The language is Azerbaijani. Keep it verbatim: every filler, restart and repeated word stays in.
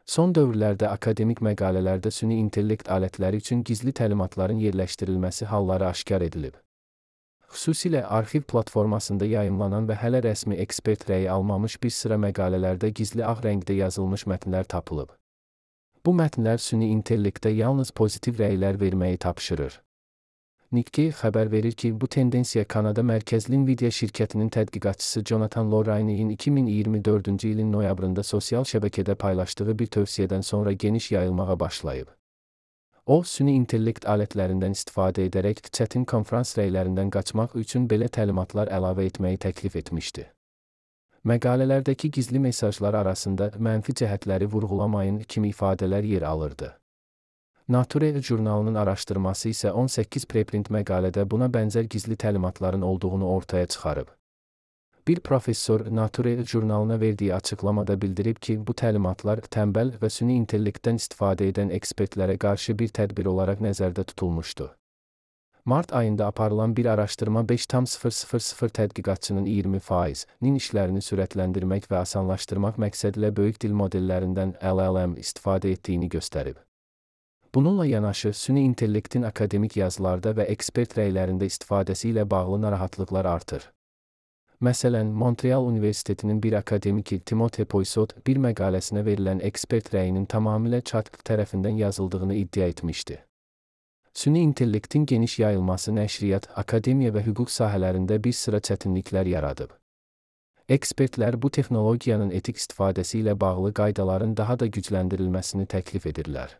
Son dövrlərdə akademik məqalələrdə süni intellekt alətləri üçün gizli təlimatların yerləşdirilməsi halları aşkar edilib. Xüsusilə arxiv platformasında yayımlanan və hələ rəsmi ekspert rəyi almamış bir sıra məqalələrdə gizli ağ rəngdə yazılmış mətnlər tapılıb. Bu mətnlər süni intellektə yalnız pozitiv rəylər verməyi tapşırır. Nikkei xəbər verir ki, bu tendensiya Kanada mərkəzli Nvidia şirkətinin tədqiqatçısı Jonathan Loraine'in iki min iyirmi dördüncü ilin noyabrında sosial şəbəkədə paylaşdığı bir tövsiyədən sonra geniş yayılmağa başlayıb. O, süni intellekt alətlərindən istifadə edərək çətin konferans rəylərindən qaçmaq üçün belə təlimatlar əlavə etməyi təklif etmişdi. Məqalələrdəki gizli mesajlar arasında mənfi cəhətləri vurğulamayın kimi ifadələr yer alırdı. Nature jurnalının araşdırması isə on səkkiz preprint məqalədə buna bənzər gizli təlimatların olduğunu ortaya çıxarıb. Bir professor Nature jurnalına verdiyi açıqlamada bildirib ki, bu təlimatlar tənbəl və süni intellektdən istifadə edən ekspertlərə qarşı bir tədbir olaraq nəzərdə tutulmuşdu. Mart ayında aparılan bir araşdırma beş nöqtə sıfır sıfır sıfır tədqiqatçının iyirmi faizinin işlərini sürətləndirmək və asanlaşdırmaq məqsədilə böyük dil modellərindən L L M istifadə etdiyini göstərib. Bununla yanaşı, süni intellektin akademik yazılarda və ekspert rəylərində istifadəsi ilə bağlı narahatlıqlar artır. Məsələn, Montreal Universitetinin bir akademiki Timothée Poissot bir məqaləsinə verilən ekspert rəyinin tamamilə chat tərəfindən yazıldığını iddia etmişdi. Süni intellektin geniş yayılması nəşriyyat, akademiya və hüquq sahələrində bir sıra çətinliklər yaradıb. Ekspertlər bu texnologiyanın etik istifadəsi ilə bağlı qaydaların daha da gücləndirilməsini təklif edirlər.